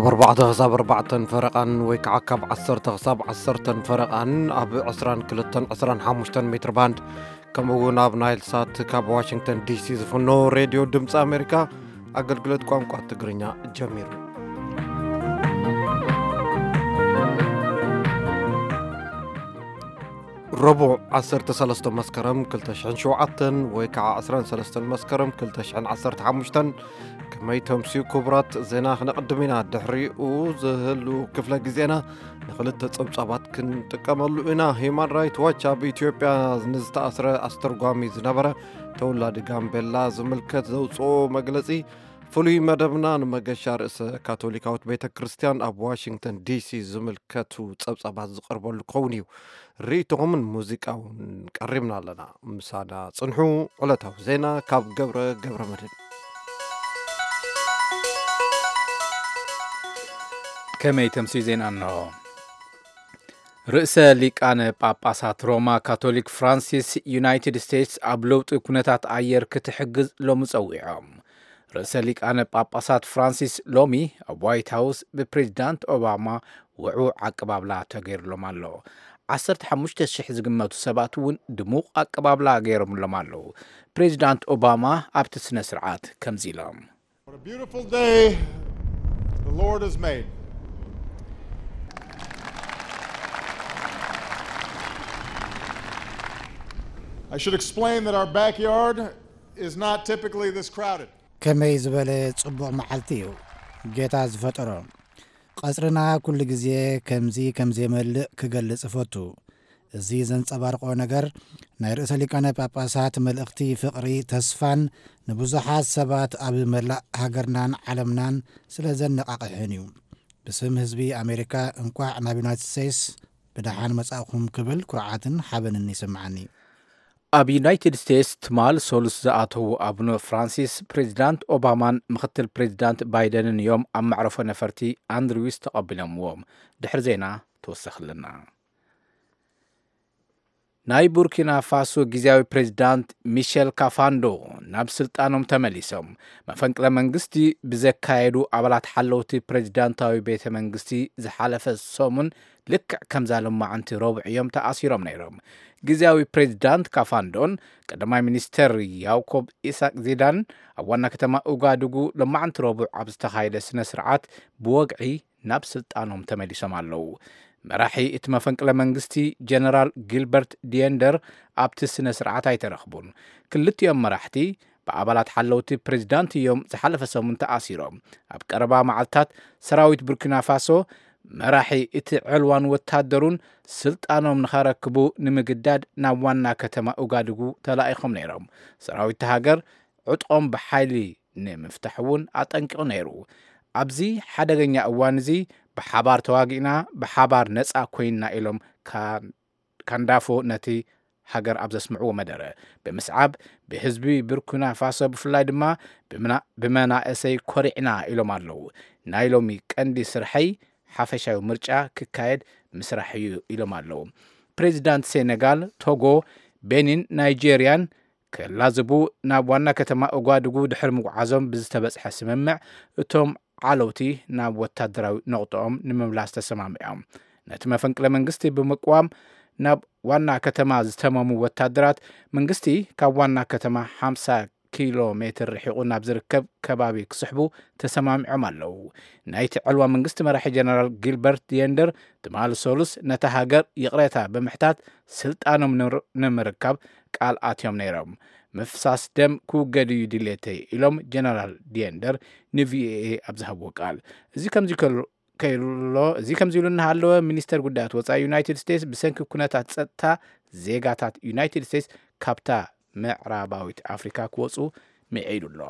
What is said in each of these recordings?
ካብ ኣርባዕተ ክሳብ ኣርባዕተን ፈረቓን ወይ ከዓ ካብ ዓሰርተ ክሳብ ዓሰርተን ፈረቓን ኣብ ዕስራን ክልተን ዕስራን ሓሙሽተን ሜትር ባንድ፣ ከምኡ እውን ኣብ ናይል ሳት ካብ ዋሽንግተን ዲሲ ዝፍኖ ሬድዮ ድምፂ ኣሜሪካ ኣገልግሎት ቋንቋ ትግርኛ ጀሚሩ። ረቡዕ ዓሰርተ ሰለስተ መስከረም ክልተ ሽሕን ሸውዓተን ወይ ከዓ ዕስራን ሰለስተን መስከረም ክልተ ሽሕን ዓሰርተ ሓሙሽተን። ከመይ ተምስዩ ክቡራት፣ ዜና ክነቕድም ኢና። ድሕሪኡ ዝህሉ ክፍለ ግዜና ንኽልተ ጸብጻባት ክንጥቀመሉ ኢና። ሂዩማን ራይት ዋች ኣብ ኢትዮጵያ ንዝተኣስረ ኣስተርጓሚ ዝነበረ ተወላዲ ጋምቤላ ዝምልከት ዘውፅኦ መግለጺ፣ ፍሉይ መደብና ንመገሻ ርእሰ ካቶሊካዊት ቤተ ክርስቲያን ኣብ ዋሽንግተን ዲሲ ዝምልከቱ ጸብጻባት ዝቐርበሉ ክኸውን እዩ። ርእይቶኹምን ሙዚቃ እውን ቀሪብና ኣለና። ምሳና ጽንሑ። ዕለታዊ ዜና ካብ ገብረ ገብረ መድህን። ከመይ ተምስዩ ዜና እንሆ። ርእሰ ሊቃነ ጳጳሳት ሮማ ካቶሊክ ፍራንሲስ፣ ዩናይትድ ስቴትስ ኣብ ለውጢ ኩነታት ኣየር ክትሕግዝ ሎሚ ጸዊዖም። ርእሰ ሊቃነ ጳጳሳት ፍራንሲስ ሎሚ ኣብ ዋይት ሃውስ ብፕሬዚዳንት ኦባማ ውዑ ኣቀባብላ ተገይሩሎም ኣሎ። ዓሰርተ ሓሙሽተ ሽሕ ዝግመቱ ሰባት እውን ድሙቕ ኣቀባብላ ገይሮምሎም ኣለዉ። ፕሬዚዳንት ኦባማ ኣብቲ ስነ ስርዓት ከምዚ ኢሎም። What a beautiful day the Lord has made. I should explain that our backyard is not typically this crowded. ከመይ ዝበለ ጽቡቕ መዓልቲ እዩ ጌታ ዝፈጠሮ። ቀጽርና ኩሉ ግዜ ከምዚ ከም ዘይመልእ ክገልጽ እፈቱ። እዚ ዘንጸባርቆ ነገር ናይ ርእሰ ሊቃነ ጳጳሳት መልእኽቲ ፍቕሪ፣ ተስፋን ንብዙሓት ሰባት ኣብ መላእ ሃገርናን ዓለምናን ስለ ዘነቓቕሕን እዩ። ብስም ህዝቢ ኣሜሪካ እንቋዕ ናብ ዩናይትድ ስቴትስ ብደሓን መጻእኹም ክብል ኩርዓትን ሓበንን ይስምዓኒ። ኣብ ዩናይትድ ስቴትስ ትማል ሰሉስ ዝኣተዉ ኣቡነ ፍራንሲስ ፕሬዚዳንት ኦባማን ምክትል ፕሬዚዳንት ባይደንን እዮም ኣብ መዕረፎ ነፈርቲ ኣንድሪውስ ተቐቢሎምዎም። ድሕሪ ዜና ተወሰኽልና። ናይ ቡርኪና ፋሶ ግዜያዊ ፕሬዚዳንት ሚሸል ካፋንዶ ናብ ስልጣኖም ተመሊሶም። መፈንቅለ መንግስቲ ብዘካየዱ ኣባላት ሓለውቲ ፕሬዚዳንታዊ ቤተ መንግስቲ ዝሓለፈ ሰሙን ልክዕ ከምዛ ሎማዓንቲ ረቡዕ እዮም ተኣሲሮም ነይሮም። ግዜያዊ ፕሬዚዳንት ካፋንዶን ቀዳማይ ሚኒስተር ያውኮብ ኢሳቅ ዚዳን ኣብ ዋና ከተማ ኡጋዱጉ ሎማዓንቲ ረቡዕ ኣብ ዝተኻየደ ስነ ስርዓት ብወግዒ ናብ ስልጣኖም ተመሊሶም ኣለዉ። መራሒ እቲ መፈንቅለ መንግስቲ ጀነራል ጊልበርት ዲየንደር ኣብቲ ስነ ስርዓት ኣይተረኽቡን። ክልቲኦም መራሕቲ ብኣባላት ሓለውቲ ፕሬዚዳንት እዮም ዝሓለፈ ሰሙን ተኣሲሮም። ኣብ ቀረባ መዓልታት ሰራዊት ቡርኪና ፋሶ መራሒ እቲ ዕልዋን ወታደሩን ስልጣኖም ንኸረክቡ ንምግዳድ ናብ ዋና ከተማ ኡጋዱጉ ተላኢኾም ነይሮም። ሰራዊት ሃገር ዕጥቖም ብሓይሊ ንምፍታሕ እውን ኣጠንቂቑ ነይሩ። ኣብዚ ሓደገኛ እዋን እዚ ብሓባር ተዋጊእና፣ ብሓባር ነጻ ኮይንና ኢሎም ካ-፣ ካንዳፎ ነቲ ሃገር ኣብ ዘስምዕዎ መደረ። ብምስዓብ ብህዝቢ ቡርኪና ፋሶ ብፍላይ ድማ ብምና-፣ ብመናእሰይ ኮሪዕና ኢሎም ኣለዉ። ናይ ሎሚ ቀንዲ ስርሐይ ሓፈሻዊ ምርጫ ክካየድ ምስራሕ እዩ ኢሎም ኣለዉ። ፕሬዚዳንት ሴኔጋል፣ ቶጎ፣ ቤኒን፣ ናይጄርያን ክላዝቡ ናብ ዋና ከተማ ኡጋዱጉ ድሕሪ ምጉዓዞም ብዝተበጽሐ ስምምዕ፣ እቶም ዓለውቲ ናብ ወታደራዊ ነቑጦኦም ንምምላስ ተሰማሚዖም። ነቲ መፈንቅለ መንግስቲ ብምቅዋም ናብ ዋና ከተማ ዝተመሙ ወታደራት መንግስቲ ካብ ዋና ከተማ ሓምሳ ኪሎ ሜትር ርሒቑ ናብ ዝርከብ ከባቢ ክስሕቡ ተሰማሚዖም ኣለዉ። ናይቲ ዕልዋ መንግስቲ መራሒ ጀነራል ጊልበርት ዲየንደር ትማሊ ሰሉስ ነታ ሃገር ይቕሬታ ብምሕታት ስልጣኖም ንምር-፣ ንምርካብ ቃል ኣትዮም ነይሮም። ምፍሳስ ደም ክውገድ እዩ ድሌተይ ኢሎም ጀነራል ዲየንደር ንቪኦኤ ኣብ ዝሃብዎ ቃል። እዚ ከምዚ ከሎ ከይሎ፣ እዚ ከምዚ ኢሉ እናሃለወ፣ ሚኒስተር ጉዳያት ወጻኢ ዩናይትድ ስቴትስ ብሰንኪ ኩነታት ጸጥታ ዜጋታት ዩናይትድ ስቴትስ ካብታ ምዕራባዊት ኣፍሪካ ክወጹ ምዒዱ ኣሎ።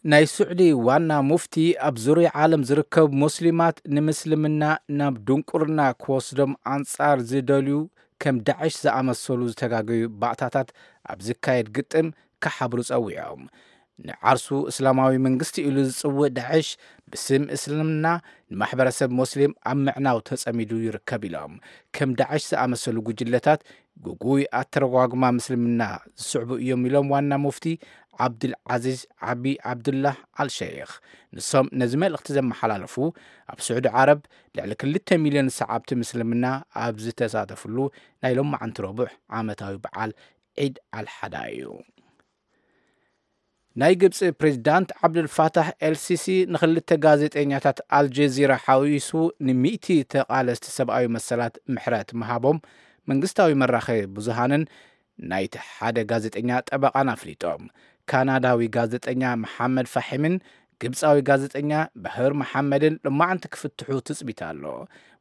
ናይ ስዑዲ ዋና ሙፍቲ ኣብ ዙርያ ዓለም ዝርከቡ ሙስሊማት ንምስልምና ናብ ድንቁርና ክወስዶም ኣንጻር ዝደልዩ ከም ዳዕሽ ዝኣመሰሉ ዝተጋገዩ ባእታታት ኣብ ዝካየድ ግጥም ክሓብሩ ጸዊዖም። ንዓርሱ እስላማዊ መንግስቲ ኢሉ ዝጽውእ ዳዕሽ ብስም እስልምና ንማሕበረሰብ ሞስሊም ኣብ ምዕናው ተጸሚዱ ይርከብ ኢሎም። ከም ዳዕሽ ዝኣመሰሉ ጉጅለታት ግጉይ ኣተረጓጉማ ምስልምና ዝስዕቡ እዮም ኢሎም ዋና ሙፍቲ ዓብዱል ዓዚዝ ዓቢ ዓብዱላህ ኣልሸይኽ። ንሶም ነዚ መልእኽቲ ዘመሓላለፉ ኣብ ስዑዲ ዓረብ ልዕሊ ክልተ ሚልዮን ሰዓብቲ ምስልምና ኣብ ዝተሳተፍሉ ናይ ሎማዓንቲ ረቡዕ ዓመታዊ በዓል ዒድ ኣልሓዳ እዩ። ናይ ግብፂ ፕሬዚዳንት ዓብዱልፋታሕ ኤልሲሲ ንክልተ ጋዜጠኛታት ኣልጀዚራ ሓዊሱ ንሚእቲ ተቓለስቲ ሰብኣዊ መሰላት ምሕረት ምሃቦም መንግስታዊ መራኸቢ ብዙሃንን ናይቲ ሓደ ጋዜጠኛ ጠበቓን ኣፍሊጦም። ካናዳዊ ጋዜጠኛ መሓመድ ፋሒምን ግብፃዊ ጋዜጠኛ ባህር መሓመድን ሎማዓንቲ ክፍትሑ ትፅቢት ኣሎ።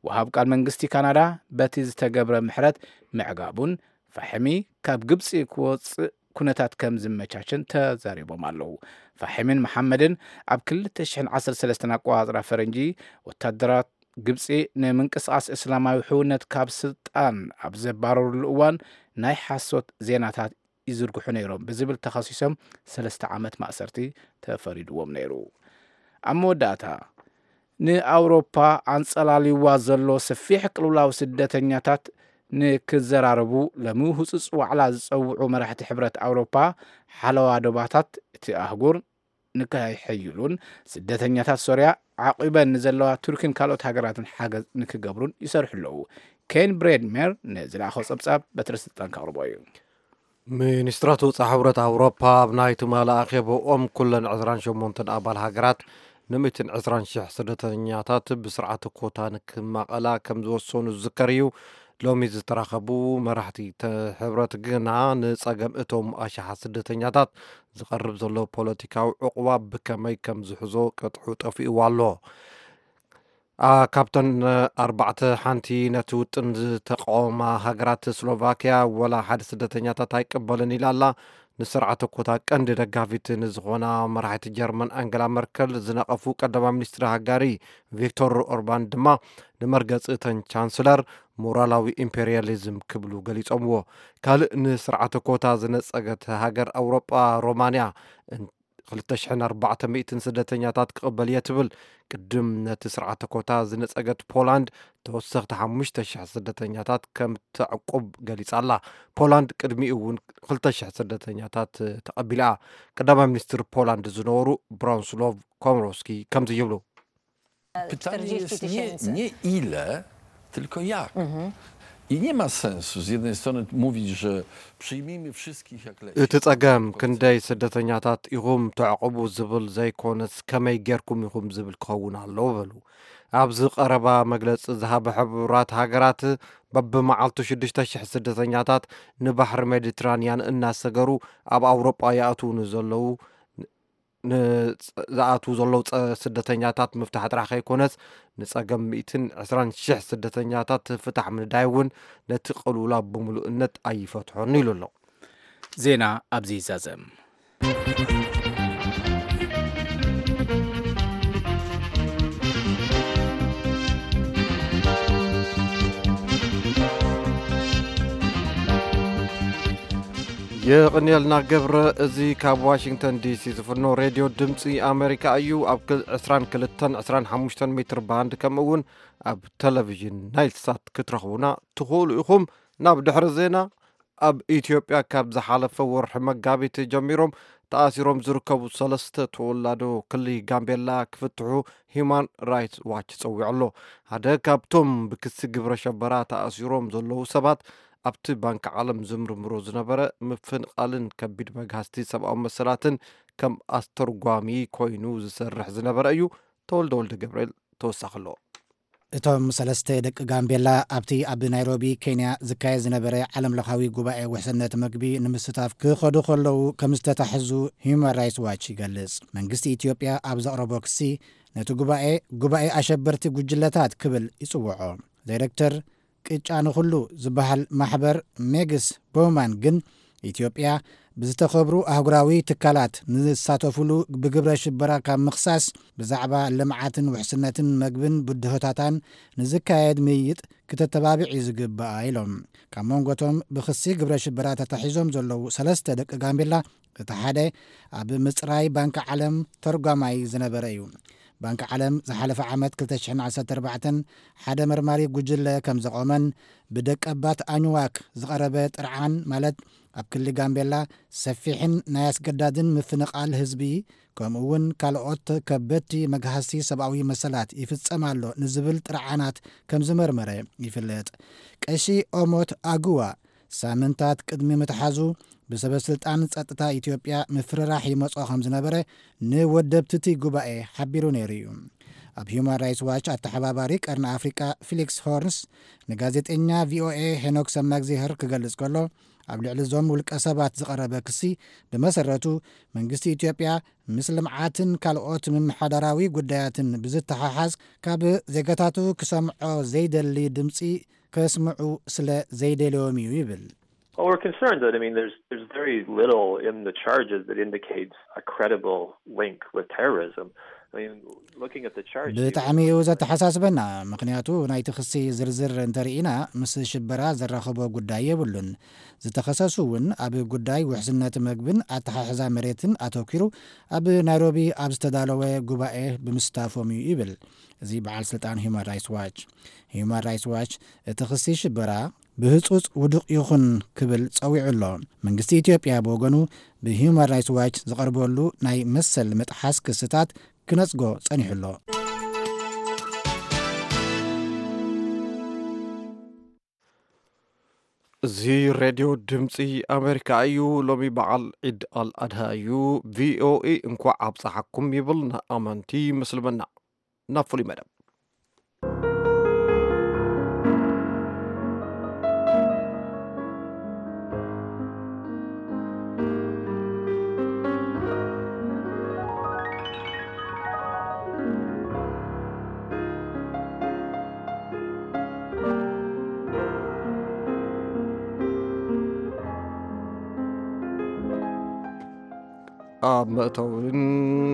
ወሃብ ቃል መንግስቲ ካናዳ በቲ ዝተገብረ ምሕረት ምዕጋቡን ፋሕሚ ካብ ግብፂ ክወፅእ ኩነታት ከም ዝመቻችን ተዛሪቦም ኣለዉ። ፋሒምን መሓመድን ኣብ ክልተ ሽሕን ዓሰርተ ሰለስተን ኣቆፃፅራ ፈረንጂ ወታደራት ግብፂ ንምንቅስቃስ እስላማዊ ሕውነት ካብ ስልጣን ኣብ ዘባረሩሉ እዋን ናይ ሓሶት ዜናታት ይዝርግሑ ነይሮም ብዝብል ተኸሲሶም ሰለስተ ዓመት ማእሰርቲ ተፈሪድዎም ነይሩ። ኣብ መወዳእታ ንኣውሮፓ ኣንጸላልይዋ ዘሎ ሰፊሕ ቅልውላው ስደተኛታት ንክዘራረቡ ሎሚ ህጹጽ ዋዕላ ዝጸውዑ መራሕቲ ሕብረት ኣውሮፓ ሓለዋ ዶባታት እቲ ኣህጉር ንከይሕይሉን ስደተኛታት ሶርያ ዓቂበን ንዘለዋ ቱርኪን ካልኦት ሃገራትን ሓገዝ ንክገብሩን ይሰርሑ ኣለዉ። ኬን ብሬድሜር ንዝለኣኾ ጸብጻብ በትሪ ስልጣን ከቕርቦ እዩ። ሚኒስትራት ወፃኢ ሕብረት ኣውሮፓ ኣብ ናይ ትማሊ ኣኼባኦም ኩለን ዕስራን ሸሞንተን ኣባል ሃገራት ን ሚእትን ዕስራን ሽሕ ስደተኛታት ብስርዓተ ኮታ ንክማቐላ ከም ዝወሰኑ ዝዝከር እዩ። ሎሚ ዝተራኸቡ መራሕቲ ሕብረት ግና ንፀገም እቶም ኣሽሓት ስደተኛታት ዝቐርብ ዘሎ ፖለቲካዊ ዕቑባ ብከመይ ከም ዝሕዞ ቅጥዑ ጠፊእዋ ኣሎ። ካብተን ኣርባዕተ ሓንቲ ነቲ ውጥን ዝተቃወማ ሃገራት ስሎቫኪያ ወላ ሓደ ስደተኛታት ኣይቅበልን ኢላ ኣላ። ንስርዓተ ኮታ ቀንዲ ደጋፊት ንዝኾና መራሒት ጀርመን ኣንገላ መርከል ዝነቐፉ ቀዳማይ ሚኒስትር ሃጋሪ ቪክቶር ኦርባን ድማ ንመርገፂ እተን ቻንስለር ሞራላዊ ኢምፔሪያሊዝም ክብሉ ገሊፆምዎ። ካልእ ንስርዓተ ኮታ ዝነፀገት ሃገር ኣውሮጳ ሮማንያ ክልተ ሽሕን ኣርባዕተ ሚእትን ስደተኛታት ክቕበል እየ ትብል። ቅድም ነቲ ስርዓተ ኮታ ዝነጸገት ፖላንድ ተወሰኽቲ ሓሙሽተ ሽሕ ስደተኛታት ከም ተዕቁብ ገሊጻ ኣላ። ፖላንድ ቅድሚኡ እውን ክልተ ሽሕ ስደተኛታት ተቐቢላ። ቀዳማይ ሚኒስትር ፖላንድ ዝነበሩ ብራንስሎቭ ኮምሮስኪ ከምዚ ይብሉ። Pytanie jest nie, nie ile, tylko jak. I nie ma sensu z jednej strony mówić, że przyjmijmy wszystkich jak leci. እቲ ጸገም ክንደይ ስደተኛታት ኢኹም ተዕቕቡ ዝብል ዘይኮነስ ከመይ ጌርኩም ኢኹም ዝብል ክኸውን ኣለዎ በሉ። ኣብዚ ቀረባ መግለጺ ዝሃበ ሕቡራት ሃገራት በብመዓልቱ ሽዱሽተ ሽሕ ስደተኛታት ንባሕሪ ሜዲትራንያን እናሰገሩ ኣብ ኣውሮጳ ይኣትዉ ንዘለዉ ዝኣትዉ ዘለዉ ስደተኛታት ምፍታሕ ጥራሕ ከይኮነስ ንጸገም ሚእትን ዕስራን ሽሕ ስደተኛታት ፍታሕ ምንዳይ እውን ነቲ ቅልውላው ብምሉእነት ኣይፈትሖን ኢሉ ኣሎ። ዜና ኣብዚ ይዛዘም። የቕንየልና ገብረ። እዚ ካብ ዋሽንግተን ዲሲ ዝፍኖ ሬድዮ ድምፂ ኣሜሪካ እዩ። ኣብ ዕስራን ክልተን ዕስራን ሓሙሽተን ሜትር ባንድ ከምኡ እውን ኣብ ቴሌቪዥን ናይል ሳት ክትረኽቡና ትኽእሉ ኢኹም። ናብ ድሕሪ ዜና። ኣብ ኢትዮጵያ ካብ ዝሓለፈ ወርሒ መጋቢት ጀሚሮም ተኣሲሮም ዝርከቡ ሰለስተ ተወላዶ ክልል ጋምቤላ ክፍትሑ ሂማን ራይትስ ዋች ጸዊዑ ኣሎ። ሓደ ካብቶም ብክሲ ግብረ ሸበራ ተኣሲሮም ዘለዉ ሰባት ኣብቲ ባንክ ዓለም ዝምርምሮ ዝነበረ ምፍንቓልን ከቢድ መግሃስቲ ሰብኣዊ መሰላትን ከም ኣስተርጓሚ ኮይኑ ዝሰርሕ ዝነበረ እዩ። ተወልደ ወልደ ገብርኤል ተወሳኺ ኣለዎ። እቶም ሰለስተ ደቂ ጋምቤላ ኣብቲ ኣብ ናይሮቢ ኬንያ ዝካየድ ዝነበረ ዓለም ለኻዊ ጉባኤ ውሕስነት መግቢ ንምስታፍ ክኸዱ ከለዉ ከም ዝተታሕዙ ሂዩማን ራይትስ ዋች ይገልጽ። መንግስቲ ኢትዮጵያ ኣብ ዘቕረቦ ክሲ ነቲ ጉባኤ ጉባኤ ኣሸበርቲ ጉጅለታት ክብል ይጽውዖ። ዳይረክተር ቅጫ ንኹሉ ዝበሃል ማሕበር ሜግስ ቦውማን ግን ኢትዮጵያ ብዝተኸብሩ ኣህጉራዊ ትካላት ንዝሳተፉሉ ብግብረ ሽበራ ካብ ምኽሳስ፣ ብዛዕባ ልምዓትን ውሕስነትን መግብን ብድሆታታን ንዝካየድ ምይይጥ ክተተባብዕ እዩ ዝግባኣ ኢሎም። ካብ መንጎቶም ብክሲ ግብረ ሽበራ ተታሒዞም ዘለዉ ሰለስተ ደቂ ጋምቤላ፣ እቲ ሓደ ኣብ ምጽራይ ባንኪ ዓለም ተርጓማይ ዝነበረ እዩ። ባንኪ ዓለም ዝሓለፈ ዓመት ክልተ ሽሕን ዓሰርተ ኣርባዕተን ሓደ መርማሪ ጉጅለ ከም ዘቖመን፣ ብደቀባት ኣኝዋክ ዝቐረበ ጥርዓን፣ ማለት ኣብ ክልል ጋምቤላ ሰፊሕን ናይ ኣስገዳድን ምፍንቓል ህዝቢ፣ ከምኡ እውን ካልኦት ከበድቲ መግሃስቲ ሰብኣዊ መሰላት ይፍጸም ኣሎ ንዝብል ጥርዓናት ከም ዝመርመረ ይፍለጥ። ቀሺ ኦሞት ኣጉዋ ሳምንታት ቅድሚ ምትሓዙ ብሰበ ስልጣን ጸጥታ ኢትዮጵያ ምፍርራሕ ይመጾ ከም ዝነበረ ንወደብትቲ ጉባኤ ሓቢሩ ነይሩ እዩ። ኣብ ሂዩማን ራይትስ ዋች ኣተሓባባሪ ቀርኒ ኣፍሪቃ ፊሊክስ ሆርንስ ንጋዜጠኛ ቪኦኤ ሄኖክ ሰማግዜህር ክገልጽ ከሎ፣ ኣብ ልዕሊ እዞም ውልቀ ሰባት ዝቐረበ ክሲ፣ ብመሰረቱ መንግስቲ ኢትዮጵያ ምስ ልምዓትን ካልኦት ምምሓዳራዊ ጉዳያትን ብዝተሓሓዝ ካብ ዜጋታቱ ክሰምዖ ዘይደሊ ድምፂ ከስምዑ ስለ ዘይደልዮም እዩ ይብል። Well, we're concerned that, I mean, there's there's very little in the charges that indicates a credible link with terrorism. I mean, looking at the charges, ብጣዕሚ እዩ ዘተሓሳስበና፣ ምክንያቱ ናይቲ ክሲ ዝርዝር እንተርኢና ምስ ሽበራ ዘራኸቦ ጉዳይ የብሉን። ዝተኸሰሱ እውን ኣብ ጉዳይ ውሕስነት መግብን ኣተሓሕዛ መሬትን ኣተኪሩ ኣብ ናይሮቢ ኣብ ዝተዳለወ ጉባኤ ብምስታፎም እዩ ይብል እዚ በዓል ስልጣን ሂዩማን ራይትስ ዋች። ሂዩማን ራይትስ ዋች እቲ ክሲ ሽበራ ብህጹጽ ውዱቕ ይኹን ክብል ጸዊዑ ኣሎ። መንግስቲ ኢትዮጵያ ብወገኑ ብሂዩማን ራይትስ ዋች ዝቐርበሉ ናይ መሰል ምጥሓስ ክስታት ክነጽጎ ጸኒሑ ኣሎ። እዚ ሬድዮ ድምፂ ኣሜሪካ እዩ። ሎሚ በዓል ዒድ ኣል ኣድሃ እዩ። ቪኦኤ እንኳዕ ኣብፀሓኩም ይብል ንኣመንቲ ምስልምና። ናብ ፍሉይ መደብ። ኣብ መእተውን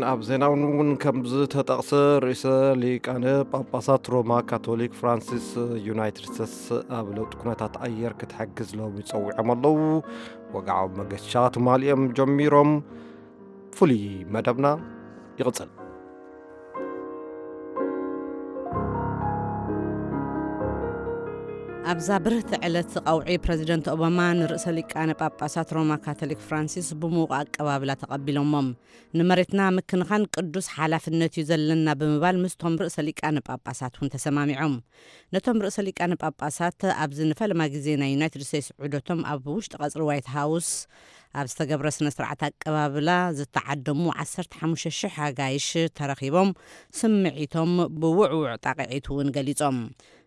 ኣብ ዜናውን እውን ከም ዝተጠቕሰ፣ ርእሰ ሊቃነ ጳጳሳት ሮማ ካቶሊክ ፍራንሲስ ዩናይትድ ስቴትስ ኣብ ለውጢ ኩነታት ኣየር ክትሕግዝ ሎሚ ጸዊዖም ኣለዉ። ወግዓዊ መገሻ ትማሊ እዮም ጀሚሮም። ፍሉይ መደብና ይቕጽል። ኣብዛ ብርህቲ ዕለት ቀውዒ፣ ፕረዚደንት ኦባማ ንርእሰ ሊቃነ ጳጳሳት ሮማ ካቶሊክ ፍራንሲስ ብምዉቕ ኣቀባብላ ተቐቢሎሞም። ንመሬትና ምክንኻን ቅዱስ ሓላፍነት እዩ ዘለና ብምባል ምስቶም ርእሰ ሊቃነ ጳጳሳት እውን ተሰማሚዖም። ነቶም ርእሰ ሊቃነ ጳጳሳት ኣብዚ ንፈለማ ግዜ ናይ ዩናይትድ ስቴትስ ዑደቶም ኣብ ውሽጢ ቀጽሪ ዋይት ሃውስ ኣብ ዝተገብረ ስነ ስርዓት ኣቀባብላ ዝተዓደሙ ዓሰርተ ሓሙሽተ ሽሕ ኣጋይሽ ተረኺቦም ስምዒቶም ብውዕውዕ ጣቕዒት እውን ገሊጾም።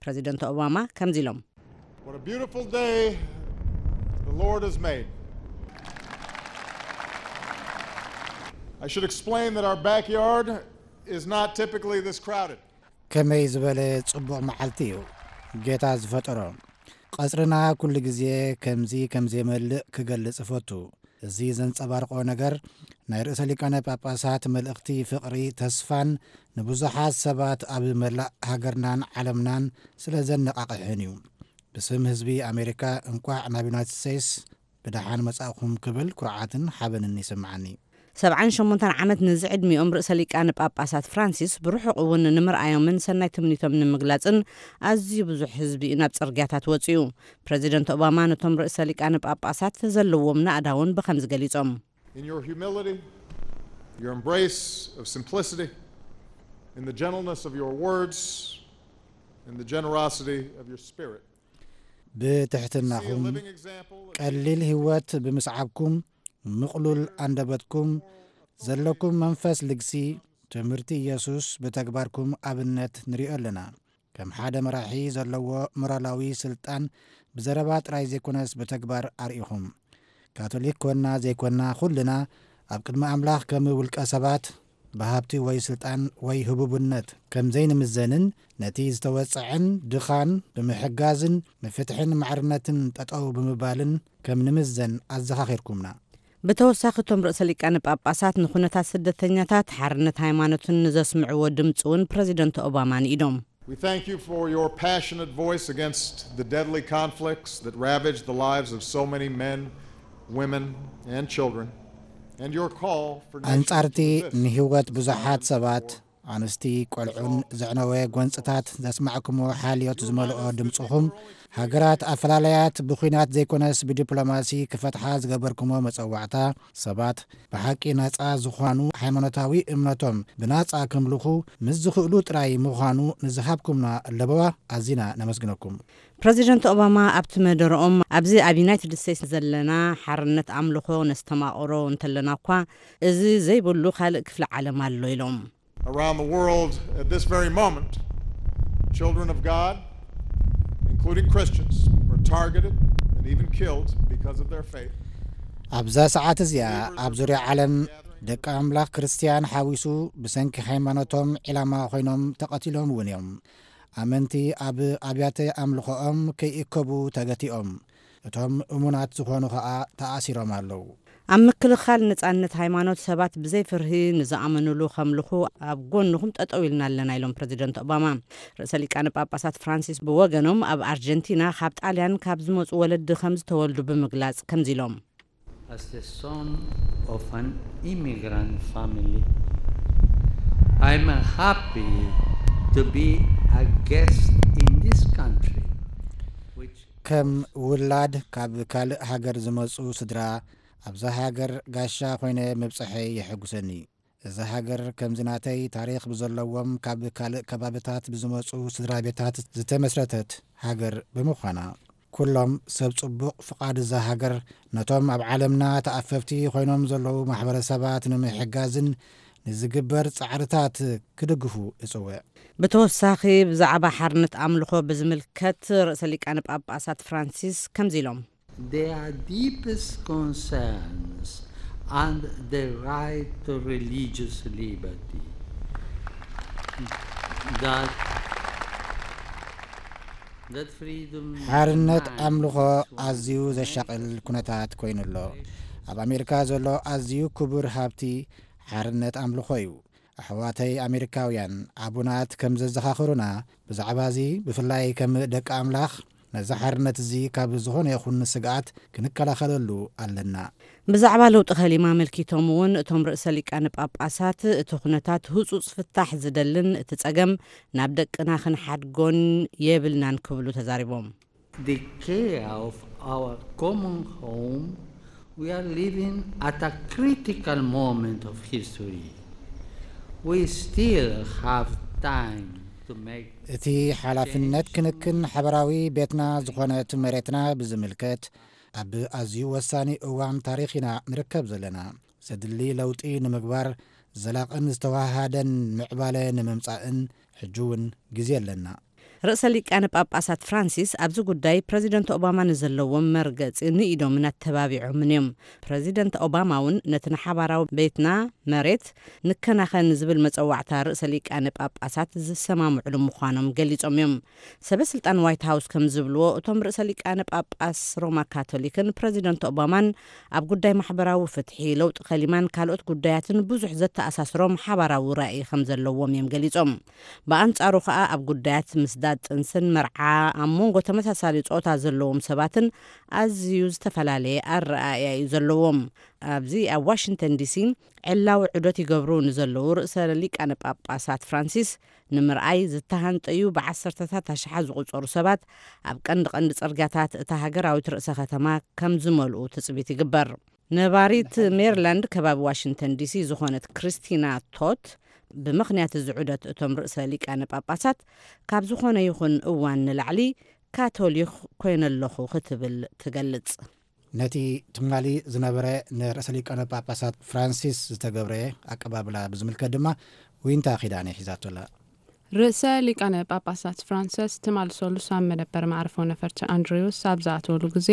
ፕረዚደንት ኦባማ ከምዚ ኢሎም። What a beautiful day the Lord has made. I should explain that our backyard is not typically this crowded. ከመይ ዝበለ ጽቡቕ መዓልቲ እዩ ጌታ ዝፈጠሮ። ቀጽርና ኩሉ ግዜ ከምዚ ከም ዘይመልእ ክገልጽ እፈቱ። እዚ ዘንጸባርቆ ነገር ናይ ርእሰ ሊቃነ ጳጳሳት መልእኽቲ ፍቕሪ፣ ተስፋን ንብዙሓት ሰባት ኣብ መላእ ሃገርናን ዓለምናን ስለ ዘነቓቕሕን እዩ። ብስም ህዝቢ ኣሜሪካ እንቋዕ ናብ ዩናይትድ ስቴትስ ብደሓን መጻእኹም ክብል ኩርዓትን ሓበንን ይስምዓኒ። ሰብዓን ሸሞንተን ዓመት ንዝዕድሚኦም ርእሰ ሊቃነ ጳጳሳት ፍራንሲስ ብርሑቕ እውን ንምርኣዮምን ሰናይ ትምኒቶም ንምግላጽን ኣዝዩ ብዙሕ ህዝቢ እዩ ናብ ጽርግያታት ወጺኡ። ፕረዚደንት ኦባማ ነቶም ርእሰ ሊቃነ ጳጳሳት ዘለዎም ናእዳ እውን ብኸምዚ ገሊጾም። In your humility, your embrace of simplicity, in the gentleness of your words, in the generosity of your spirit, see a ብትሕትናኹም፣ living example of ቀሊል ህይወት ብምስዓብኩም፣ ምቕሉል ኣንደበትኩም፣ ዘለኩም መንፈስ ልግሲ፣ ትምህርቲ ኢየሱስ ብተግባርኩም ኣብነት ንሪኦ ኣለና። ከም ሓደ መራሒ ዘለዎ ሞራላዊ ስልጣን ብዘረባ ጥራይ ዘይኮነስ ብተግባር ኣርኢኹም። ካቶሊክ ኮና ዘይኮና ኩልና ኣብ ቅድሚ ኣምላኽ ከም ውልቀ ሰባት ብሃብቲ ወይ ስልጣን ወይ ህቡብነት ከም ዘይንምዘንን ነቲ ዝተወጽዐን ድኻን ብምሕጋዝን ንፍትሕን ማዕርነትን ጠጠው ብምባልን ከም ንምዘን ኣዘኻኺርኩምና። ብተወሳኺ፣ እቶም ርእሰ ሊቃነ ጳጳሳት ንኹነታት ስደተኛታት ሓርነት ሃይማኖትን ንዘስምዕዎ ድምፂ እውን ፕረዚደንት ኦባማ ንኢዶም። We thank you for your passionate voice against the deadly conflicts that ravaged the lives of so many men, women, and children, and your call for nations ኣንጻርቲ to resist ንህይወት ብዙሓት ሰባት፣ ኣንስቲ፣ ቆልዑን ዘዕነወ ጎንጽታት ዘስማዕኩሞ ሓልዮት ዝመልኦ ድምጽኹም፣ ሃገራት ኣፈላለያት ብኲናት ዘይኮነስ ብዲፕሎማሲ ክፈትሓ ዝገበርኩሞ መጸዋዕታ፣ ሰባት ብሓቂ ናጻ ዝኾኑ፣ ሃይማኖታዊ እምነቶም ብናጻ ከምልኹ ምስ ዝኽእሉ ጥራይ ምዃኑ ንዝሃብኩምና ለበዋ ኣዚና ነመስግነኩም። ፕረዚደንት ኦባማ ኣብቲ መደረኦም፣ ኣብዚ ኣብ ዩናይትድ ስቴትስ ዘለና ሓርነት ኣምልኾ ነስተማቕሮ እንተለና እኳ፣ እዚ ዘይብሉ ካልእ ክፍሊ ዓለም ኣሎ ኢሎም። Around the world at this very moment, children of God, including Christians, are targeted and even killed because of their faith. ኣብዛ ሰዓት እዚኣ ኣብ ዙርያ ዓለም ደቂ ኣምላኽ ክርስትያን ሓዊሱ ብሰንኪ ሃይማኖቶም ዒላማ ኮይኖም ተቐቲሎም እውን እዮም። ኣመንቲ ኣብ ኣብያተ ኣምልኾኦም ከይእከቡ ተገቲኦም፣ እቶም እሙናት ዝኾኑ ኸኣ ተኣሲሮም ኣለዉ። ኣብ ምክልኻል ነጻነት ሃይማኖት ሰባት ብዘይ ፍርሂ ንዝኣመኑሉ ከምልኹ ኣብ ጎንኹም ጠጠው ኢልና ኣለና ኢሎም ፕረዚደንት ኦባማ። ርእሰ ሊቃነ ጳጳሳት ፍራንሲስ ብወገኖም ኣብ ኣርጀንቲና ካብ ጣልያን ካብ ዝመጹ ወለዲ ከም ዝተወልዱ ብምግላጽ ከምዚ ኢሎም። As the son of an immigrant family, I'm happy to be a guest in this country, which ከም ውላድ ካብ ካልእ ሃገር ዝመጹ ስድራ ኣብዛ ሃገር ጋሻ ኮይነ ምብጽሐይ የሐጉሰኒ። እዛ ሃገር ከምዚ ናተይ ታሪኽ ብዘለዎም ካብ ካልእ ከባብታት ብዝመጹ ስድራ ቤታት ዝተመስረተት ሃገር ብምዃና፣ ኩሎም ሰብ ጽቡቕ ፍቓድ እዛ ሃገር ነቶም ኣብ ዓለምና ተኣፈፍቲ ኮይኖም ዘለዉ ማሕበረሰባት ንምሕጋዝን ንዝግበር ጻዕርታት ክድግፉ እጽውዕ። ብተወሳኺ ብዛዕባ ሓርነት ኣምልኾ ብዝምልከት ርእሰ ሊቃነ ጳጳሳት ፍራንሲስ ከምዚ ኢሎም። Their deepest concerns and the right to religious liberty. That, that freedom ሓርነት demands ኣምልኾ one ኣዝዩ ዘሻቕል ኩነታት ኮይኑ ኣሎ። ኣብ ኣሜሪካ ዘሎ ኣዝዩ ክቡር ሃብቲ ሓርነት ኣምልኾ እዩ። ኣሕዋተይ ኣሜሪካውያን፣ ኣቡናት ከም ዘዘኻኽሩና፣ ብዛዕባ እዚ ብፍላይ ከም ደቂ ኣምላኽ ነዚ ሓርነት እዚ ካብ ዝኾነ ይኹን ስግኣት ክንከላኸለሉ ኣለና። ብዛዕባ ለውጢ ከሊማ ኣመልኪቶም እውን እቶም ርእሰ ሊቃነ ጳጳሳት፣ እቲ ኩነታት ህጹጽ ፍታሕ ዝደልን እቲ ጸገም ናብ ደቅና ክንሓድጎን የብልናን ክብሉ ተዛሪቦም። The care of our common home, we are living at a critical moment of history. We still have time to make እቲ ሓላፍነት ክንክን ሓበራዊ ቤትና ዝኾነት መሬትና ብዝምልከት ኣብ ኣዝዩ ወሳኒ እዋን ታሪኽ ኢና ንርከብ ዘለና። ዘድሊ ለውጢ ንምግባር ዘላቕን ዝተዋሃደን ምዕባለ ንምምጻእን ሕጂ እውን ግዜ ኣለና። ርእሰ ሊቃነ ጳጳሳት ፍራንሲስ ኣብዚ ጉዳይ ፕረዚደንት ኦባማ ንዘለዎም መርገጺ ንኢዶምን ኣተባቢዖምን እዮም። ፕረዚደንት ኦባማ እውን ነቲ ንሓባራዊ ቤትና መሬት ንከናኸን ዝብል መጸዋዕታ ርእሰ ሊቃነ ጳጳሳት ዝሰማምዕሉ ምዃኖም ገሊጾም እዮም። ሰበ ስልጣን ዋይት ሃውስ ከም ዝብልዎ፣ እቶም ርእሰ ሊቃነ ጳጳስ ሮማ ካቶሊክን ፕረዚደንት ኦባማን ኣብ ጉዳይ ማሕበራዊ ፍትሒ፣ ለውጢ ከሊማን ካልኦት ጉዳያትን ብዙሕ ዘተኣሳስሮም ሓባራዊ ራእይ ከም ዘለዎም እዮም ገሊጾም። ብኣንጻሩ ከኣ ኣብ ጉዳያት ምስዳድ ጥንስን መርዓ ኣብ መንጎ ተመሳሳሊ ጾታ ዘለዎም ሰባትን ኣዝዩ ዝተፈላለየ ኣረኣእያ እዩ ዘለዎም። ኣብዚ ኣብ ዋሽንግተን ዲሲ ዕላዊ ዑደት ይገብሩ ንዘለዉ ርእሰ ሊቃነ ጳጳሳት ፍራንሲስ ንምርኣይ ዝተሃንጠዩ ብዓሰርተታት ኣሽሓት ዝቑጸሩ ሰባት ኣብ ቀንዲ ቀንዲ ጽርግያታት እታ ሃገራዊት ርእሰ ከተማ ከም ዝመልኡ ትጽቢት ይግበር። ነባሪት ሜሪላንድ ከባቢ ዋሽንግተን ዲሲ ዝኾነት ክርስቲና ቶት፣ ብምኽንያት እዚ ዑደት እቶም ርእሰ ሊቃነ ጳጳሳት ካብ ዝኾነ ይኹን እዋን ንላዕሊ ካቶሊኽ ኮይነ ኣለኹ ክትብል ትገልጽ። ነቲ ትማሊ ዝነበረ ንርእሰ ሊቃነ ጳጳሳት ፍራንሲስ ዝተገብረ ኣቀባብላ ብዝምልከት ድማ ዊንታ ኪዳነ ሒዛቶ ኣላ። ርእሰ ሊቃነ ጳጳሳት ፍራንሲስ ትማል ሰሉስ ኣብ መደበር መዕርፎ ነፈርቲ ኣንድሪውስ ኣብ ዝኣተወሉ ግዜ፣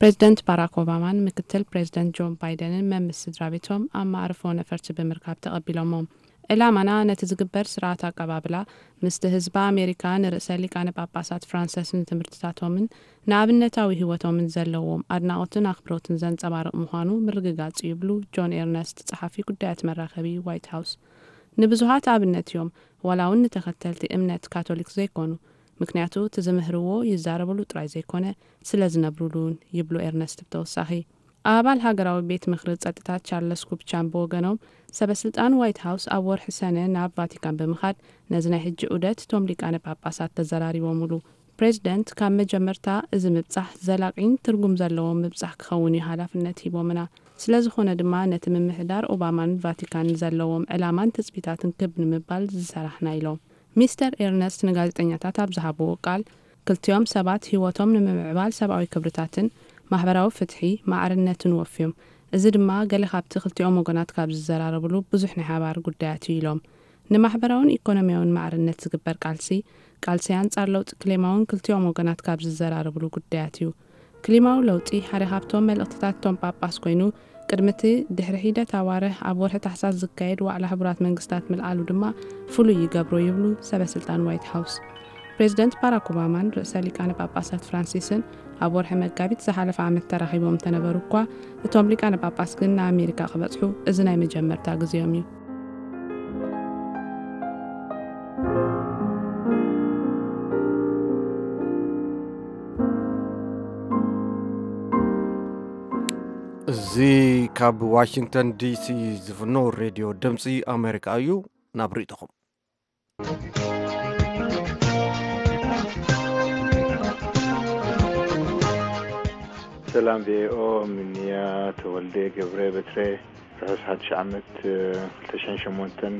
ፕሬዚደንት ባራክ ኦባማን ምክትል ፕሬዚደንት ጆን ባይደንን መምስ ስድራ ቤቶም ኣብ መዕርፎ ነፈርቲ ብምርካብ ተቐቢሎሞም። ዕላማና ነቲ ዝግበር ስርዓት ኣቀባብላ ምስቲ ህዝቢ ኣሜሪካ ንርእሰ ሊቃነ ጳጳሳት ፍራንሰስን ትምህርትታቶምን ንኣብነታዊ ህይወቶምን ዘለዎም ኣድናቖትን ኣኽብሮትን ዘንጸባርቕ ምዃኑ ምርግጋጽ እዩ ይብሉ ጆን ኤርነስት፣ ጸሓፊ ጉዳያት መራኸቢ ዋይት ሃውስ። ንብዙሃት ኣብነት እዮም፣ ዋላ እውን ንተኸተልቲ እምነት ካቶሊክ ዘይኮኑ። ምክንያቱ እቲ ዝምህርዎ ይዛረብሉ ጥራይ ዘይኮነ፣ ስለ ዝነብሩሉ እውን ይብሉ ኤርነስት ብተወሳኺ። ኣባል ሃገራዊ ቤት ምኽሪ ጸጥታ ቻርለስ ኩፕቻም ብወገኖም፣ ሰበ ስልጣን ዋይት ሃውስ ኣብ ወርሒ ሰነ ናብ ቫቲካን ብምኻድ ነዚ ናይ ሕጂ ዑደት እቶም ሊቃነ ጳጳሳት ተዘራሪቦምሉ። ፕሬዚደንት ካብ መጀመርታ እዚ ምብጻሕ ዘላቒን ትርጉም ዘለዎን ምብጻሕ ክኸውን እዩ ሓላፍነት ሂቦምና። ስለ ዝኾነ ድማ ነቲ ምምሕዳር ኦባማን ቫቲካን ዘለዎም ዕላማን ትጽቢታትን ክብ ንምባል ዝሰራሕና ኢሎም። ሚስተር ኤርነስት ንጋዜጠኛታት ኣብ ዝሃብዎ ቃል፣ ክልቲኦም ሰባት ህይወቶም ንምምዕባል ሰብኣዊ ክብርታትን ማሕበራዊ ፍትሒ፣ ማዕርነትን ወፍዮም። እዚ ድማ ገለ ካብቲ ክልቲኦም ወገናት ካብ ዝዘራረብሉ ብዙሕ ናይ ሓባር ጉዳያት እዩ ኢሎም። ንማሕበራውን ኢኮኖሚያውን ማዕርነት ዝግበር ቃልሲ፣ ቃልሲ ኣንጻር ለውጢ ክሌማውን ክልቲኦም ወገናት ካብ ዝዘራረብሉ ጉዳያት እዩ። ክሊማዊ ለውጢ ሓደ ካብቶም መልእኽትታት እቶም ጳጳስ ኮይኑ፣ ቅድሚ እቲ ድሕሪ ሒደት ኣዋርሕ ኣብ ወርሒ ታሕሳስ ዝካየድ ዋዕላ ሕቡራት መንግስታት ምልዓሉ ድማ ፍሉይ ይገብሮ ይብሉ ሰበ ስልጣን ዋይት ሃውስ። ፕሬዚደንት ባራክ ኦባማን ርእሰ ሊቃነ ጳጳሳት ፍራንሲስን ኣብ ወርሒ መጋቢት ዝሓለፈ ዓመት ተራኺቦም እንተነበሩ እኳ፣ እቶም ሊቃነ ጳጳስ ግን ንኣሜሪካ ክበጽሑ እዚ ናይ መጀመርታ ግዜኦም እዩ። እዚ ካብ ዋሽንግተን ዲሲ ዝፍኖ ሬድዮ ድምፂ ኣሜሪካ እዩ። ናብ ርእይቶኹም። ሰላም ቪኦኤ፣ ምንያ ተወልደ ገብረ በትረ፣ ርሑስ ሓድሽ ዓመት ክልተ ሽሕን ሸሞንተን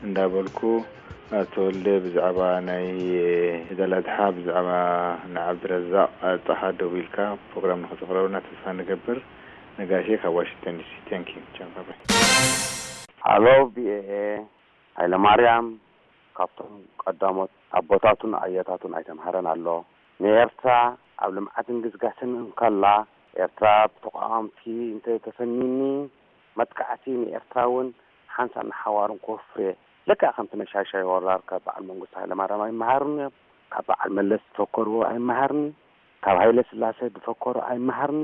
እንዳበልኩ፣ ኣቶ ወልደ ብዛዕባ ናይ ዒድ ኣል ኣድሓ፣ ብዛዕባ ንዓብድረዛቕ ጣሃ ደዊልካ ፕሮግራም ንኸተቕርበልና ተስፋ ንገብር። ነጋሽ ካብ ዋሽንግተን ዲሲ። Thank you። ቻው፣ ባይ ባይ። ሃሎ ቪኦኤ፣ ሃይለማርያም ካብቶም ቀዳሞት ኣቦታቱን ኣያታቱን ኣይተምሃረን ኣሎ። ንኤርትራ ኣብ ልምዓትን ግስጋስን እንከላ፣ ኤርትራ ብተቃወምቲ እንተተሰኒኒ፣ መጥቃዕቲ ንኤርትራ እውን ሓንሳብ ንሓዋሩን ክወፍር እየ። ልክዕ ከምቲ ነሻሻይ ወራር ካብ በዓል መንግስቱ ሃይለማርያም ኣይመሃሩን እዮም። ካብ በዓል መለስ ዝፈከርዎ ኣይመሃርኒ። ካብ ሃይለ ስላሴ ዝፈከሮ ኣይመሃርኒ።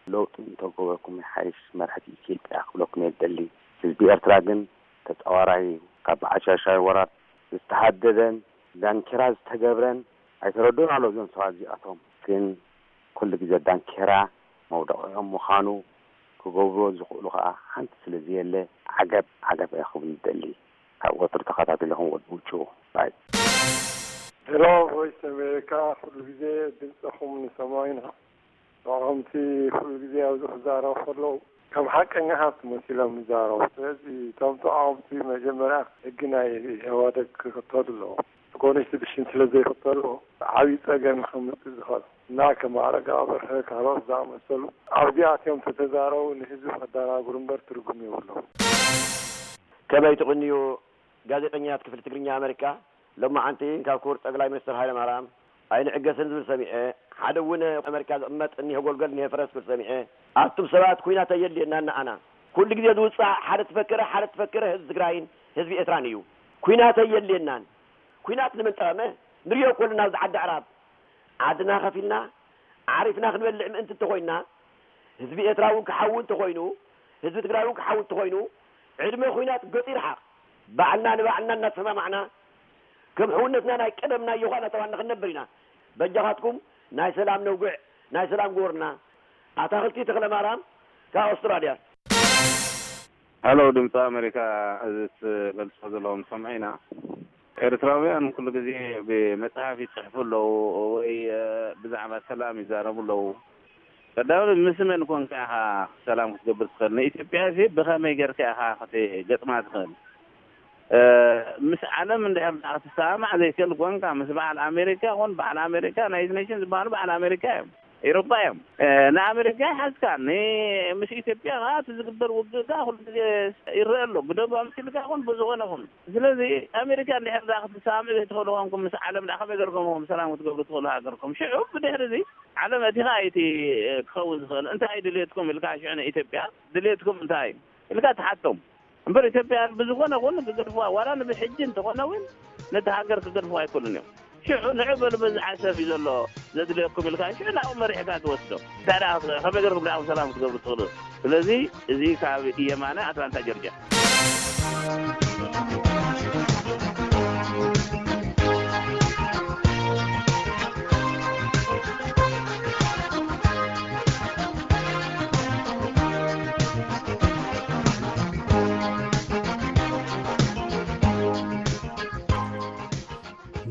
ለውጢ እንተገበርኩም ይሓይሽ፣ መራሕቲ ኢትዮጵያ ክብለኩም እየ ዝደሊ። ህዝቢ ኤርትራ ግን ተጻዋራይ እዩ። ካብ በዓል ሻሻይ ወራር ዝተሃደደን ዳንኪራ ዝተገብረን ኣይተረድኡን ኣሎ እዞም ሰባት እዚኣቶም። ግን ኩሉ ግዜ ዳንኪራ መውደቂኦም ምዃኑ ክገብርዎ ዝኽእሉ ከኣ ሓንቲ ስለ ዘየለ ዓገብ ዓገብ እየ ክብል ዝደሊ። ካብ ወትሩ ተኸታቲልኹም ወዲ ውጩ ባይ። ሄሎ ቮይስ ኣሜሪካ፣ ኩሉ ግዜ ድምፅኹም ንሰምዖ ኢና። ከምቲ ኩሉ ግዜ ኣብዚ ክዛረቡ ከለዉ ከም ሓቀኛታት መሲሎም ይዛረቡ። ስለዚ እቶም ተቃወምቲ መጀመርያ ሕጊ ናይ ኢህዋደግ ክኽተሉ ኣለዎም። ኮንስቲቱሽን ስለ ዘይኽተሉ ዓብዪ ጸገም ከምጽእ ዝኽእል እና ከም ኣረጋ በርሀ ካልኦት ዝኣመሰሉ ኣብዚኣትዮም ተተዛረቡ ንህዝቢ ከደናግሩ እምበር ትርጉም የብሎም። ከመይ ትቕንዩ ጋዜጠኛት ክፍሊ ትግርኛ ኣመሪካ? ሎማዓንቲ ካብ ክቡር ጠቅላይ ሚኒስትር ሃይለ ማርያም ኣይንዕገስን ዝብል ሰሚዐ፣ ሓደ እውን ኣመሪካ ዝቕመጥ እኒሀ ጎልጎል እኒሀ ፈረስ ክብል ሰሚዐ። ኣቱም ሰባት ኩናት ኣየድልየናን ንዓና። ኩሉ ግዜ ዝውፃእ ሓደ ትፈክረ ሓደ ትፈክረ ህዝቢ ትግራይን ህዝቢ ኤርትራን እዩ። ኩናት ኣየድልየናን። ኩናት ንመን ጠቐመ? ንሪኦ እኮ ኣለና ኣብዚ ዓዲ ኣዕራብ ዓድና ከፊልና ዓሪፍና ክንበልዕ ምእንቲ እንተኾይንና፣ ህዝቢ ኤርትራ እውን ክሓዊ እንተኾይኑ፣ ህዝቢ ትግራይ እውን ክሓዊ እንተኾይኑ፣ ዕድመ ኩናት ገፁ ይርሓቕ። ባዕልና ንባዕልና እናተሰማማዕና ከም ሕውነትና ናይ ቀደም ናይ ዮኻ እናተባህልና ክንነብር ኢና። በጃኻትኩም ናይ ሰላም ነውግዕ፣ ናይ ሰላም ግበሩልና። ኣታኽልቲ ተኽለማርያም ካብ ኣውስትራልያ። ሃሎ ድምፂ ኣሜሪካ፣ እዚ ትገልፆ ዘለዎም ሰምዐ ኢና። ኤርትራውያን ኩሉ ግዜ ብመፅሓፍ ይፅሕፉ ኣለዉ ወይ ብዛዕባ ሰላም ይዛረቡ ኣለዉ። ቀዳማይ ምስ መን ኮንካ ኢኻ ሰላም ክትገብር ትኽእል? ንኢትዮጵያ ሲ ብኸመይ ጌርካ ኢኻ ክትገጥማ ትኽእል? ምስ ዓለም እንድሕር ደኣ ክትሰማማዕ ዘይክእል ኮንካ፣ ምስ በዓል ኣሜሪካ ኮን፣ በዓል ኣሜሪካ፣ ናይት ኔሽን ዝበሃሉ በዓል ኣሜሪካ እዮም፣ ኤሮፓ እዮም። ንኣሜሪካ ይሓዝካ፣ ን-፣ ምስ ኢትዮጵያ ከዓ እቲ ዝግበር ውግእ ከዓ ኩሉ ግዜ ይረአ ኣሎ፣ ብደንብ ኣምሲልካ ኮን ብዝኾነ ኮን። ስለዚ ኣሜሪካ እንድሕር ደኣ ክትሰማምዕ ዘይትኽእሉ ኮንኩም፣ ምስ ዓለም ደኣ ከመይ ገርኩም ኢኹም ሰላም ክትገብሩ ትኽእሉ ሃገርኩም? ሽዑ ብድሕሪ እዚ ዓለም እቲ ከዓ እቲ ክኸውን ዝኽእል እንታይ ድልየትኩም ኢልካ ሽዑ ንኢትዮጵያ ድልየትኩም እንታይ ኢልካ ትሓቶም። እምበር ኢትዮጵያ ብዝኾነ ኹን ክገድፍዋ፣ ዋላ ንብሕጂ እንተኾነ እውን ነቲ ሃገር ክገድፍዋ ኣይክእሉን እዮም። ሽዑ ንዑ በሉ፣ በዚ ዓሰብ እዩ ዘሎ ዘድልየኩም ኢልካ፣ ሽዑ ናብኡ መሪሕካ ትወስዶ። እንታይ ደኣ፣ ከመይ ገርኩም ደኣ ሰላም ክትገብሩ ትኽእሉ? ስለዚ እዚ ካብ የማነ ኣትላንታ ጆርጅያ።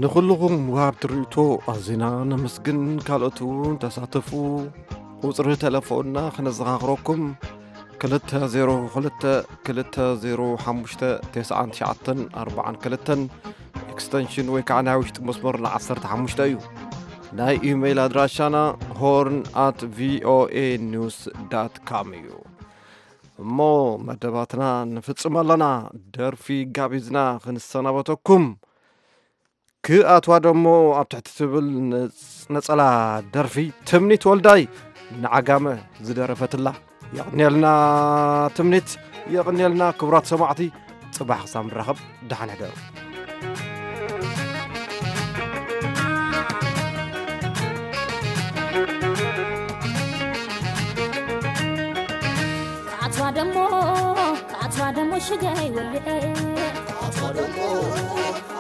ንኹልኹም ወሃብቲ ርእይቶ ኣዚና ነመስግን። ካልኦት እውን ተሳተፉ። ቁጽሪ ተለፎንና ክነዘኻኽረኩም፣ ክልተ ዜሮ ክልተ፣ ክልተ ዜሮ ሓሙሽተ፣ ተስዓን ትሽዓተን ኣርባዓን ክልተን፣ ኤክስተንሽን ወይ ከዓ ናይ ውሽጢ መስመርና ዓሰርተ ሓሙሽተ እዩ። ናይ ኢሜይል ኣድራሻና ሆርን ኣት ቪኦኤ ኒውስ ዳት ካም እዩ። እሞ መደባትና ንፍጽም ኣለና። ደርፊ ጋቢዝና ክንሰናበተኩም። ክኣትዋ ደሞ ኣብ ትሕቲ ትብል ነጽ-፣ ነጸላ ደርፊ ትምኒት ወልዳይ ንዓጋመ ዝደረፈትላ። የቕንየልና ትምኒት፣ የቕንየልና ክቡራት ሰማዕቲ። ጽባሕ ክሳብ ንራኸብ፣ ደሓን ሕደሩ። ኣትዋ ደሞ፣ ኣትዋ ደሞ ሽገይ ወልኤ። ኣትዋ ደሞ፣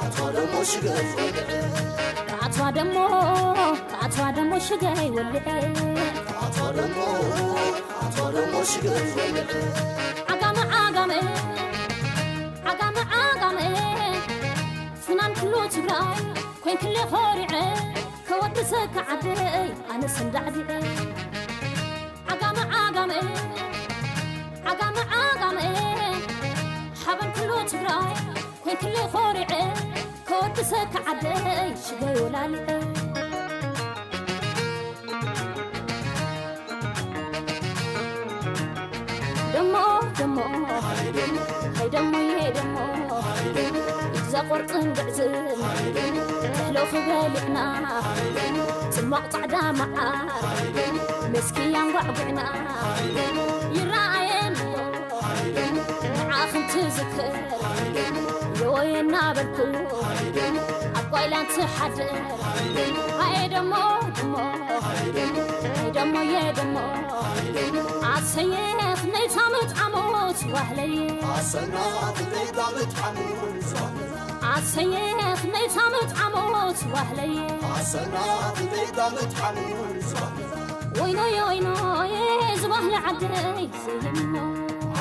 ኣትዋ ደሞ ሽገይ ወልኤ። ኣትዋ ደሞ፣ ኣትዋ ደሞ ሽገይ ወልኤ። ኣትዋ ደሞ፣ ኣትዋ ደሞ ሽገይ ወልኤ። ዓጋመ፣ ዓጋመ፣ ዓጋመ፣ ዓጋመ፣ ፍናን ኩሉ ትግራይ ኮይንክለ ኾሪዐ፣ ከወድሰካ ዓደይ ኣነስ እንዳዕድዐ። ዓጋመ ዓጋመ፣ ዓጋመ ዓጋመ፣ ሓበን ኩሉ ትግራይ ኮይንክለ ኾሪዐ፣ ከወድሰካ ዓደይ ሽገይ ወላሊዐ። ደሞ ደሞ፣ ሃይ ደሞየ ደሞ፣ እዛ ቆርጥን ግዕዝን፣ እህሎ ክበሊዕና፣ ጽማቕ ጻዕዳ መዓር፣ መስኪ ኣንጓዕጒዕና፣ ይረኣየኒ ኣሎ ንዓኺ እንትዝክር፣ የወየ እናበልኩ ኣብ ጓይላ እንትሓድር። ሃየ ደሞ ደሞ፣ ሃየ ደሞ፣ ሃየ ደሞ የደሞ። ኣሰየ ክንደይ ታምት ዓሞት ዋህለየ። ኣሰና ክንደይ ታምት ዓሞት ዋህለየ። ኣሰየ ክንደይ ታምት ዓሞት ዋህለየ። ኣሰና ክንደይ ታምት ዓሞት ዋህለየ። ወይኖየ ወይኖየ ዝባህለ ዓደይ ዘይሞ።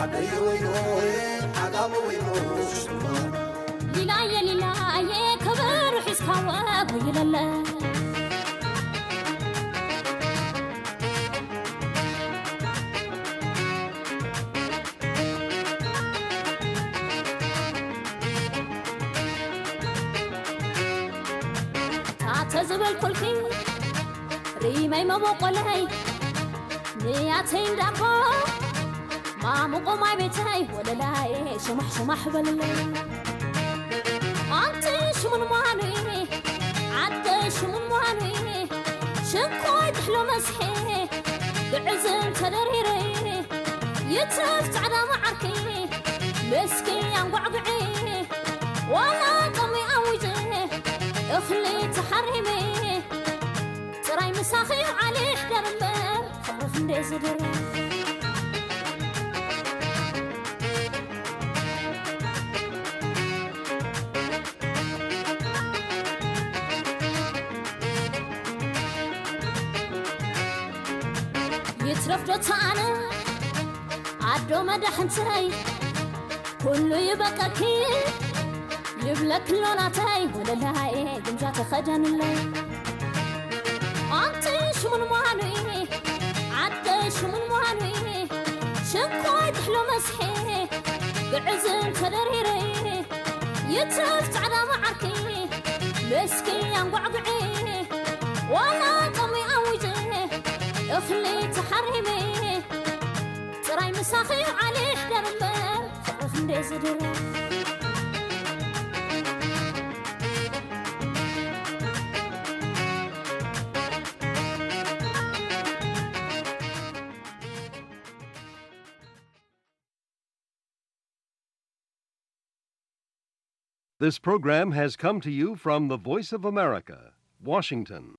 ዓደይ ወይኖየ ዓጋመ ወይኖ ሽማ። ሊላየ ሊላየ ከበሮ ሒዝካ ወጉ ይለለ። ታተ ዝበልኩልኪ ሪመይ መበቆለይ ንያተይ እንዳቦ ማሙቆ ማይ ቤተይ ወለላይ ሽማሕ ሽማሕ በልለይ። ኣንቲ ሽሙን ሟኑይ ዓደ ሽሙን ሟኑይ ሽኮይ ትሕሎ መስሐ ግዕዝም ተደሪረይ ይትረፍ ጻዕዳ መዓርኪ መስኪ ኣንጓዕጉዒ ዋላ ጦሚ ኣዊጀ እኽሊ ተሓሪመ ጥራይ ምሳኺ ዓሊ ይሕደር እምበር ፍቕሪ ክንደይ ዝድረ። ይትረፍ ዶ ተኣነ ኣዶ መዳሕንተይ ኩሉ ይበቀኪ ይብለኪ ኣሎ ናተይ ወለላይ ግምጃ ተኸደንለይ። ኣንቲ ሽሙን ሟኑይ ዓደ ሽሙን ሟኑይ ሽኮይ ትሕሎ መስሐ ግዕዝም ተደሪረይ ይትረፍ ጻዕዳ መዓርኪ መስኪ ኣንጓዕጉዒ ዋላ ጦሚ ኣዊጀ እኽሊ ተሓሪመ ጥራይ ምሳኺ ዓሊ ይሕደር እምበር ፍቕሪ ክንደይ ዝድረ። This program has come to you from the Voice of America, Washington.